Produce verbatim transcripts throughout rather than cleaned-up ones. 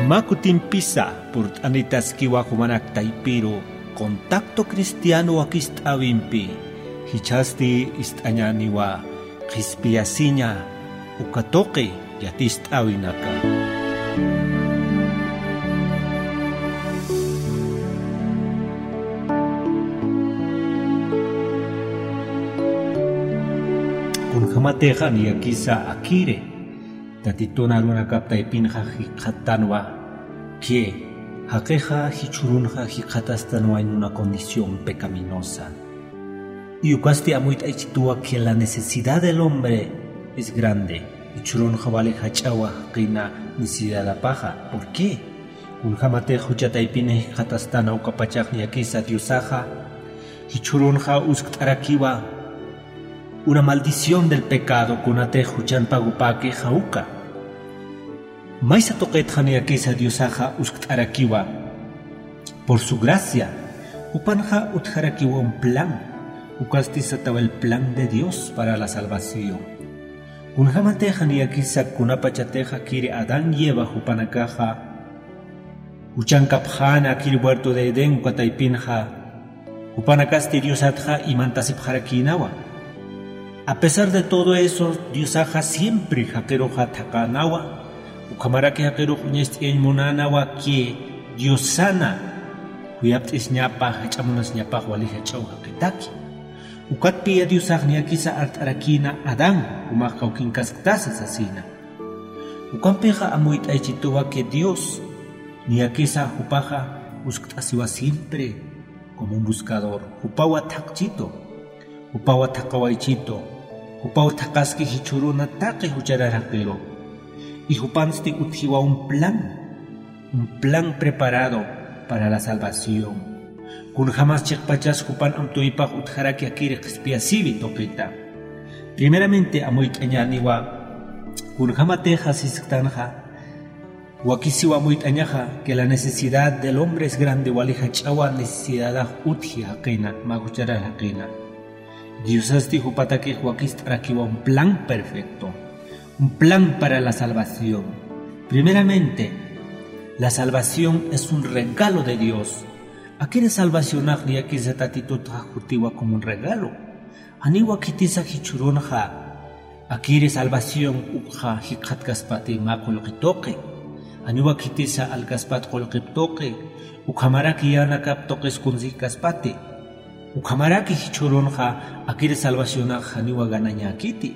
Mä kutimpisa purt'anitaskiwa jumanak taypiru contacto cristiano wakist'äwimpi, jichhasti ist'añäniwa qhispiyasiña uka tuqi yatist'äwinaka. Kunjamatixa niyakisa akiri Tatitun arunakap taypinxa jikxatanwa, que jaqixa jichhürunxa jikxatastanwa en una condición pecaminosa. Y ukasti amuyt'aychituwa que la necesidad del hombre es grande. Jichhürunxa wali jach'awa jaqina necesidadapaxa. ¿Por qué? Kunjamatix jucha taypin jikxatastana ukapachax niyakisa Diosaxa, jichhürunxa uskt'arakiwa una maldición del pecado, kunatix juchan pagopäki jawka. Maysa tuqitxa niyakisa Diosaxa uskt'arakiwa por su gracia, jupanxa utjarakiwa un plan, ukasti satawa el plan de Dios para la salvación. Kunjamatixa niyakisa kunapachatixa kiri Adán y Eva jupanakaxa juchankapxäna kiri huerto de Edén uka taypinxa, jupanakasti Diosatxa imantasipxarakïnawa. A pesar de todo eso, Diosaxa siempre jaqiruxa thaqänawa, ukhamaraki jaqirux uñacht'ayañ munänawa que Diosana khuyapt'isiñapa, jach'a munasiñapax wali jach'aw jaqitaki. Ukatpiya Diosax niyakisa art'arakïna Adán, jumax kawkinkasktasa sasina. Ukampixa amuyt'aychituwa que Dios niyakisa jupaxa uskt'asiwa siempre como un buscador. Jupawa thaqchitu, jupawa thaqawaychitu, jupaw thaqaski jichhüruna taqi jucharar jaqiru. Y jupansti utjiwa un plan, un plan preparado para la salvación. Kunjamas chiqpachas jupan amtuypax utjaraki akiri qhispiyasiwi tuqita. Primeramente amuyt'añäniwa, kunjamatixa sisktanxa, wakisiwa amuyt'añaxa que la necesidad del hombre es grande, wali jach'awa necesidadax utji jaqina, mä jucharar jaqina. Diosasti jupatakix wakist'arakiwa un plan perfecto, un plan para la salvación. Primeramente, la salvación es un regalo de Dios. Akiri salvacionax niyakisa Tatitutxa jutiwa como un regalo. Janiwa khitisa jichhürunxa akiri salvación ukxa jikxatkaspati mä qullqi tuqi. Janiwa khitisa alkaspat qullqip tuqi, ukhamaraki yänakap tuqis kunsijkaspati. Ukhamaraki jichhürunxa akiri salvacionax janiwa ganañäkiti.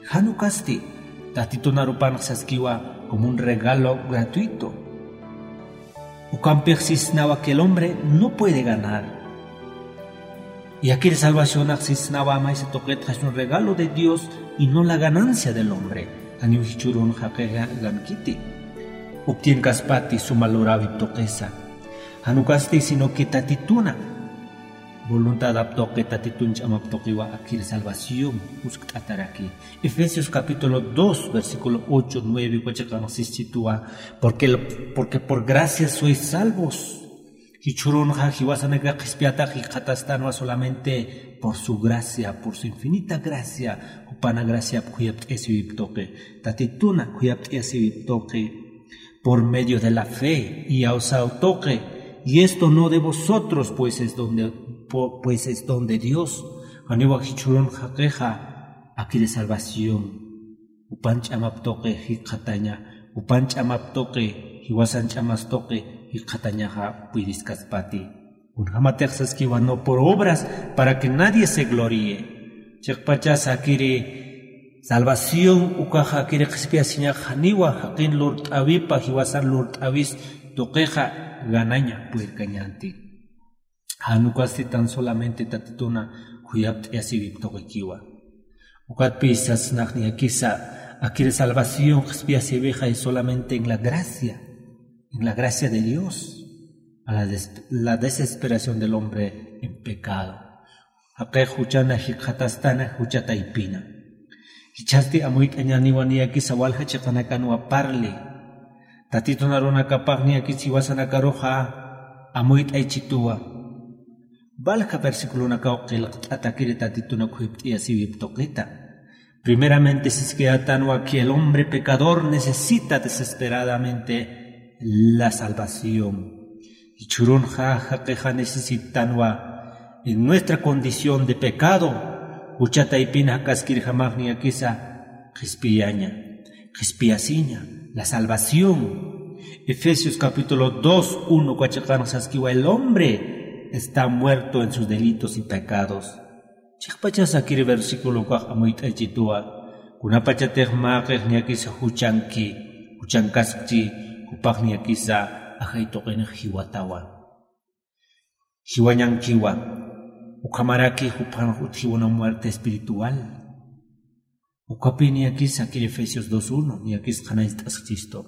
Jan ukasti, Tatitun arupanx saskiwa como un regalo gratuito. Ukampix sisnawa que el hombre no puede ganar. Y akiri salvacionax sisnawa maysa tuqitxa es un regalo de Dios y no la ganancia del hombre. Janiw jichhürun jaqi gankiti, obtienkaspati suma luräwip tuqisa. Jan ukasti, sino que Tatituna voluntadap tuqi, Tatitun ch'amap tuqiwa akiri salvación uskt'ataraki. Efesios capítulo dos, versículo ocho, nueve, uka chiqanx sischituwa, porque, porque por gracia sois salvos. Jichhürunxa jiwasanakax qhispiyatax jikxatastanwa solamente por su gracia, por su infinita gracia, jupana graciap khuyapt'ayasiwip tuqi, Tatituna khuyapt'ayasiwip tuqi, por medio de la fe, y awsaw tuqi, y esto no de vosotros, pues es don de, po-, pues es don de Dios. Janiwa jichhürun jaqixa, akiri salvación. Jupan ch'amap tuqi jikxataña, jupan ch'amap tuqi, jiwasan ch'amas tuqi jikxatañaxa puyiriskaspati. Kunjamatix saskiwa, no por obras, para que nadie se gloríe. Chiqpachas akiri salvación ukaxa akiri qhispiyasiñax janiwa jaqin lurt'äwipa, jiwasan lurt'äwis tuqixa ganaña puyirkañänti. Jan ukasti tan solamente Tatituna khuyapt'ayasiwip tuqikiwa. Ukatpï sasnax niyakisa, akiri salvación qhispiyasiwixa es solamente en la gracia, en la gracia de Dios, a la des-, la desesperación del hombre en pecado. Jaqix juchana jikxatastana jucha taypina. Jichhasti amuyt'añäniwa niyakisa walja chiqanakanwa parli. Tatitun arunakapax niyakis jiwasanakaruxa amuyt'aychituwa. Walja versiculonakaw qillqt'atakiri Tatituna khuyapt'ayasiwip tuqita. Primeramente siskayätanwa que el hombre pecador necesita desesperadamente la salvación. Jichhürunxa jaqixa necesitanwa en nuestra condición de pecado, jucha taypin jak'askirjamax niyakisa qhispiyaña, qhispiyasiña, la salvación. Efesios capítulo dos uno uka chiqanxa saskiwa: "El hombre está muerto en sus delitos y pecados". Chiqpachasa kiri versículo ukax amuyt'aychituwa, kunapachatix mäqix niyakisa juchanki, juchankaskchi, jupax niyakisa ajay tuqinix jiwatawa. Jiwañankiwa, ukhamaraki juphanx utjiwa una muerte espiritual. Ukapï niyakisa kiri Efesios dos uno, niyakis qhanañcht'askchistu.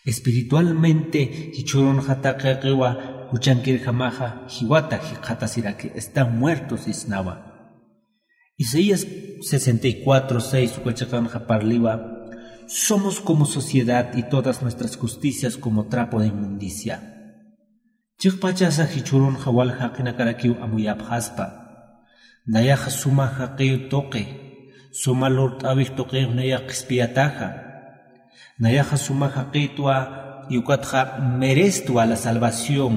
Espiritualmente jichhürunxa taqiqiwa juchankirjamaxa jiwata jikxatasiraki, están muertos sisnawa. Isaías sesenta y cuatro seis uka chiqanxa parliwa: "Somos como suciedad y todas nuestras justicias como trapo de inmundicia". Chiqpachasa jichhürunxa wal jaqinakarakiw amuyapxaspa. Nayaxa suma jaqiw tuqi, suma lurt'äwix tuqix nayax qhispiyataxa. Nayaxa suma jaqitwa, y ukatxa merestwa la salvación.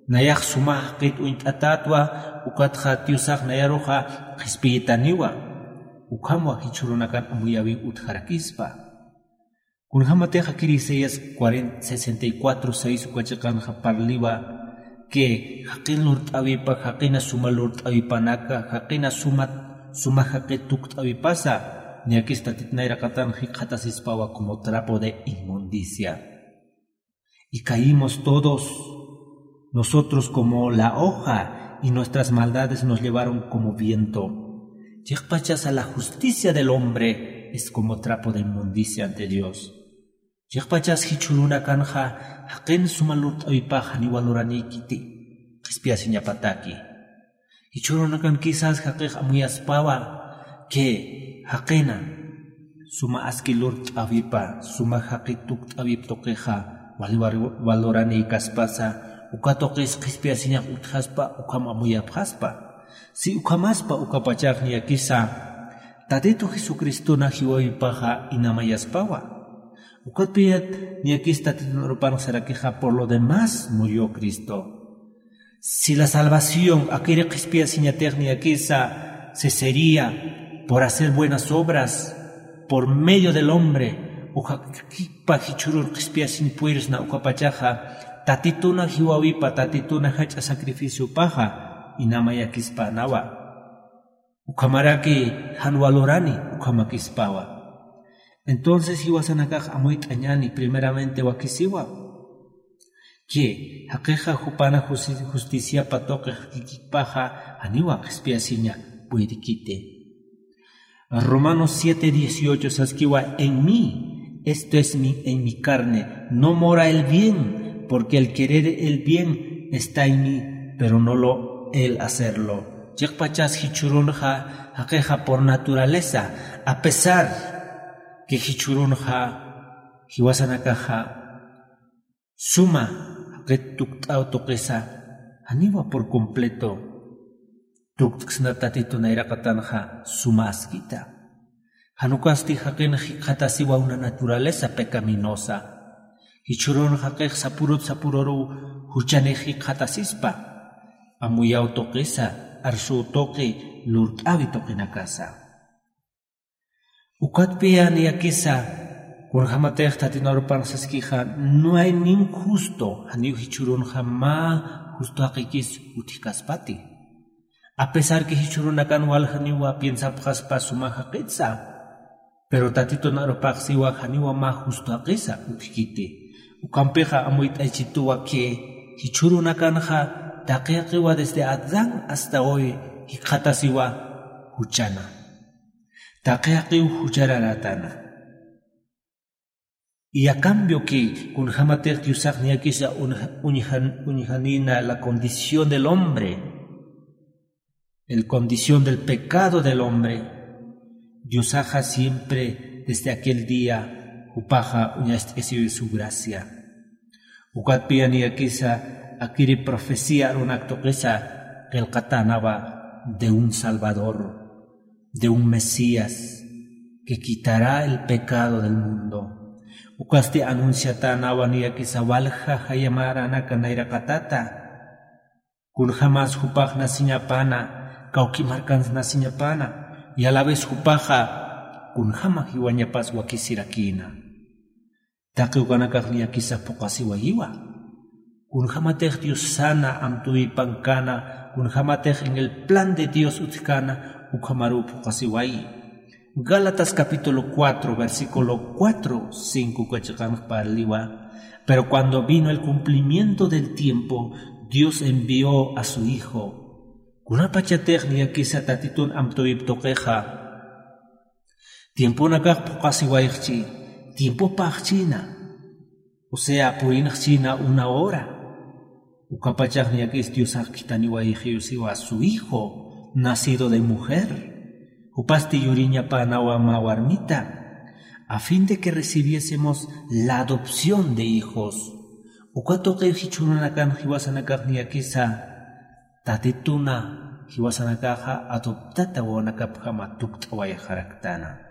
Nayax suma jaqit uñt'atätwa, ukatxa Diosax nayaruxa qhispiyitaniwa. Ukhamwa jichhürunakan amuyäwiw utjarakispa. Kunjämatix kiri Isaías cuarenta, sesenta y cuatro seis uka chiqanxa parliwa que jaqin lurt'äwipa, jaqina suma lurt'äwipanaka, jaqina suma, suma jaqi tukt'äwipasa, niyakis Tatit nayraqatan jikxatasispawa como trapo de inmundicia. Y caímos todos nosotros como la hoja, y nuestras maldades nos llevaron como viento. Chiqpachasa la justicia del hombre es como trapo de inmundicia ante Dios. Chiqpachas jichhürunakanxa jaqin suma lurt'äwipax janiwa luraniykiti, qhispiyasiñapataki. Jichhürunakan quizás jaqix amuyaspawa que jaqina suma aski lurt'äwipa, suma jaqi tukt'äwip tuqixa wali war-, waloranïkaspasa, uka tuqis qhispiyasiñax utjaspa, ukham amuyapxaspa. Si ukhamaspa, ukapachax niyakisa Tatitu Jesucristona jiwawipaxa inamayaspawa. Ukatpiyat niyakis Tatitu arupan sarakixa: "Por lo demás murió Cristo". Si la salvación, akiri qhispiyasiñatix niyakisa, se sería por hacer buenas obras, por medio del hombre, uka jaqïkpa jichhürun qhispiyasiñ purisna, ukapachaxa Tatituna jiwawipa, Tatituna jach'a sacrificiopaxa inamayakispänawa. Ukhamaraki jan walurani ukhamakispawa. Entonces jiwasanakax amuyt'añäni, primeramente wakisiwa que jaqixa jupana justi-, justiciapa tuqix jaqïkpaxa janiwa qhispiyasiña puyrikiti. Romanos siete dieciocho saskiwa: "En mí, esto es mi, en mi carne, no mora el bien, porque el querer el bien está en mí, pero no lo el hacerlo". Chiqpachas jichhürunxa jaqixa por naturaleza, a pesar que jichhürunxa jiwasanakaxa suma jaqit tukt'aw tuqisa, janiwa por completo tukt'ksna Tatitu nayraqatanxa suma askita. Jan ukasti jaqin jikxatasiwa una naturaleza pecaminosa. Jichhürun jaqix sapürut sapüruruw juchanix jikxatasispa, amuyaw tuqisa, arsuw tuqi, lurt'äwi tuqinakasa. Ukatpiya niyakisa, kunjämatix Tatitu arupan saskixa: "No hay ni un justo", janiw jichhürunxa mä justo jaqikis utjkaspati. A pesar que jichhürunakan wal janiwa piensapxaspa suma jaqitsa, pero Tatitun arupax siwa janiwa mä justo jaqisa utjkiti. Ukampixa amuyt'aychituwa que jichhürunakanxa taqi jaqiwa desde Adán hasta hoy jikxatasiwa juchana. Taqi jaqiw juchararätana. Y a cambio que kunjämatix Diosax niyakisa uñja-, uñjan-, uñjanïna la condición del hombre, el condición del pecado del hombre, Diosaxa siempre desde aquel día jupaxa uñacht'asiwi su gracia. Ukatpiya niyakisa akiri profecía arunak tuqisa qillqatänawa de un Salvador, de un Mesías que quitará el pecado del mundo. Ukasti anunciatänawa niyakisa walja jayamäranaka nayraqatata. Kunjamas jupax nasiñapana, kawki markans nasiñapana, y a la vez jupaxa kunjama jiwañapas wakisirakïna. Taqi ukanakax niyakisa phuqasiwayiwa. Kunjamatix Diosana amtuwipankana, kunjamatix en el plan de Dios utjkana, ukhamaruw phuqasiwayi. Gálatas capítulo cuatro, versículo cuatro, cinco uka chiqanx parliwa. Pero cuando vino el cumplimiento del tiempo, Dios envió a su Hijo. Kunapachatix niyakisa Tatitun amtuwip tuqixa, tiemponakax phuqasiwayxchi, tiempopaxchïna, o sea, purinxchïna una hora. Ukapachax niyakis Diosax khithaniwayxiw siwa su Hijo, nacido de mujer. Jupasti yuriñapänawa mä warmita, a fin de que recibiésemos la adopción de hijos. Uka tuqiw jichhürunakan jiwasanakax niyakisa Tatituna jiwasanakaxa adoptata wawanakapjama tukt'awayxaraktana.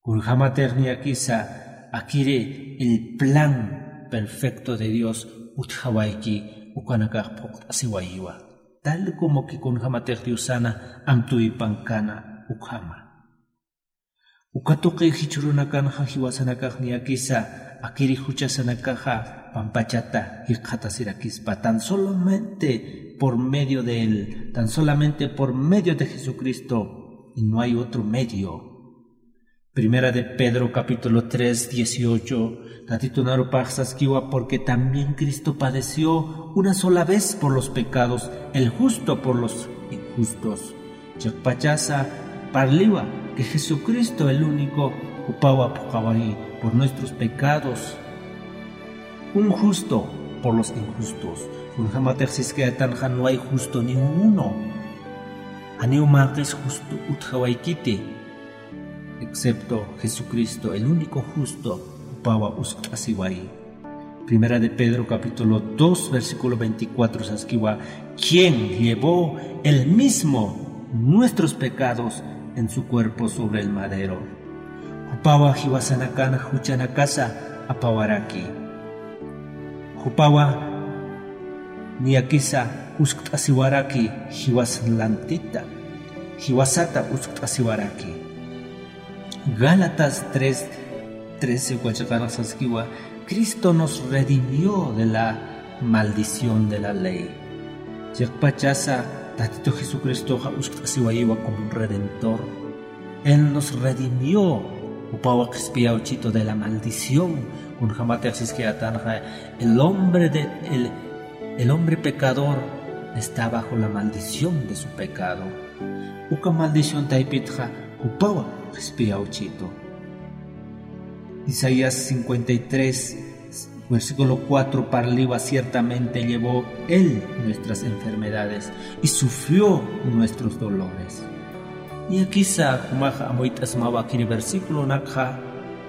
Kunjamatix niyakisa akiri el plan perfecto de Dios utjawayki, ukanakax phuqt'asiwayiwa. Tal como que kunjamatix Diosana amtuwipankana ukhama. Uka tuqi jichhürunakanxa jiwasanakax niyakisa akiri juchasanakaxa pampachata jikxatasirakispa, tan solamente por medio de él, tan solamente por medio de Jesucristo, y no hay otro medio. Primera de Pedro capítulo tres, dieciocho, Tatitun arupax saskiwa: porque también Cristo padeció una sola vez por los pecados, el justo por los injustos. Chiqpachasa parliwa que Jesucristo el único jupawa phuqawayi por nuestros pecados, un justo por los injustos. Kunjamatix siskayätanxa no hay justo ni uno. Janiw mäqis justo utjawaykiti, excepto Jesucristo, el único justo, jupawa uskt'asiwayi. Primera de Pedro capítulo dos, versículo veinticuatro saskiwa: quien llevó él mismo nuestros pecados en su cuerpo sobre el madero. Jupawa jiwasanakan juchanakasa apawaraki. Jupawa niyakisa uskt'asiwaraki jiwas lantita, jiwasata uskt'asiwaraki. Gálatas tres trece uka chiqanx saskiwa: Cristo nos redimió de la maldición de la ley. Chiqpachasa Tatito Jesucristoxa uskt'asiwayiwa como un redentor. Él nos redimió, jupawa qhispiyawchitu de la maldición. Kunjamatix siskayätanxa, el hombre de, el, el hombre pecador está bajo la maldición de su pecado. Uka maldición taypitxa jupawa qhispiyawchitu. Isaías cincuenta y tres, versículo cuatro parliwa: ciertamente llevó él nuestras enfermedades y sufrió nuestros dolores. Niyakisa jumax amuyt'asmawa akiri versículonakxa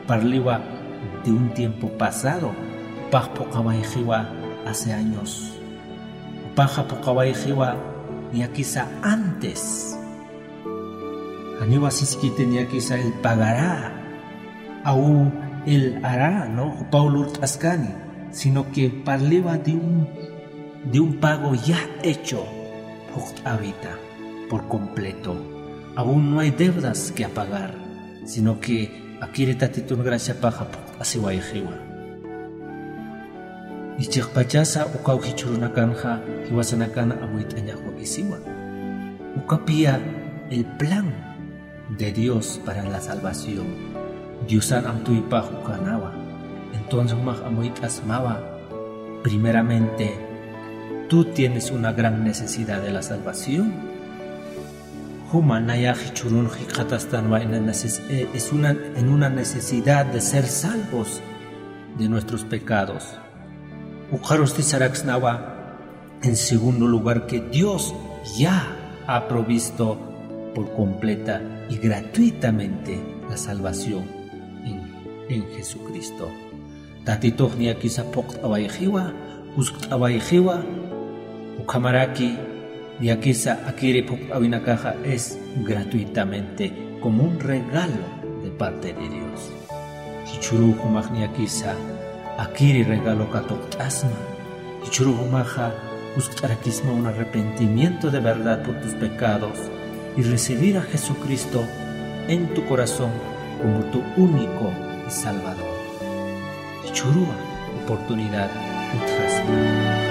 parliwa de un tiempo pasado, jupax phuqawayxiwa hace años. Jupaxa phuqawayxiwa niyakisa antes. Janiwa siskiti niyakisa él pagará, aw él hará, ¿no? Jupaw lurt'askani, sino que parliwa de un, de un pago ya hecho, phuqt'äwita por completo. Aún no hay deudas que apagar, sino que akiri Tatitun graciapaxa phuqt'asiwayxiwa. Chiqpachasa ukaw jichhürunakanxa jiwasanakan amuyt'añax wakisiwa. Ukapiya el plan de Dios para la salvación. Diosan amtuypax ukanawa. Entonces jumax amuyt'asmawa: primeramente, tú tienes una gran necesidad de la salvación. Juma nayax jichhürun jikxatastanwa en la neces-, eh, es una, en una necesidad de ser salvos de nuestros pecados. Ukxarusti saraksnawa, en segundo lugar, que Dios ya ha provisto por completa y gratuitamente la salvación en, en Jesucristo. Tatitux niyakisa phuqt'awayxiwa, uskt'awayxiwa, ukhamaraki niyakisa akiri phuqt'awinakaxa es gratuitamente, como un regalo de parte de Dios. Jichhüruw jumax niyakisa akiri regalo katuqt'asma. Jichhüruw jumaxa uskt'arakisma un arrepentimiento de verdad por tus pecados y recibir a Jesucristo en tu corazón como tu único y Salvador. Jichhüruw oportunidad utjasma.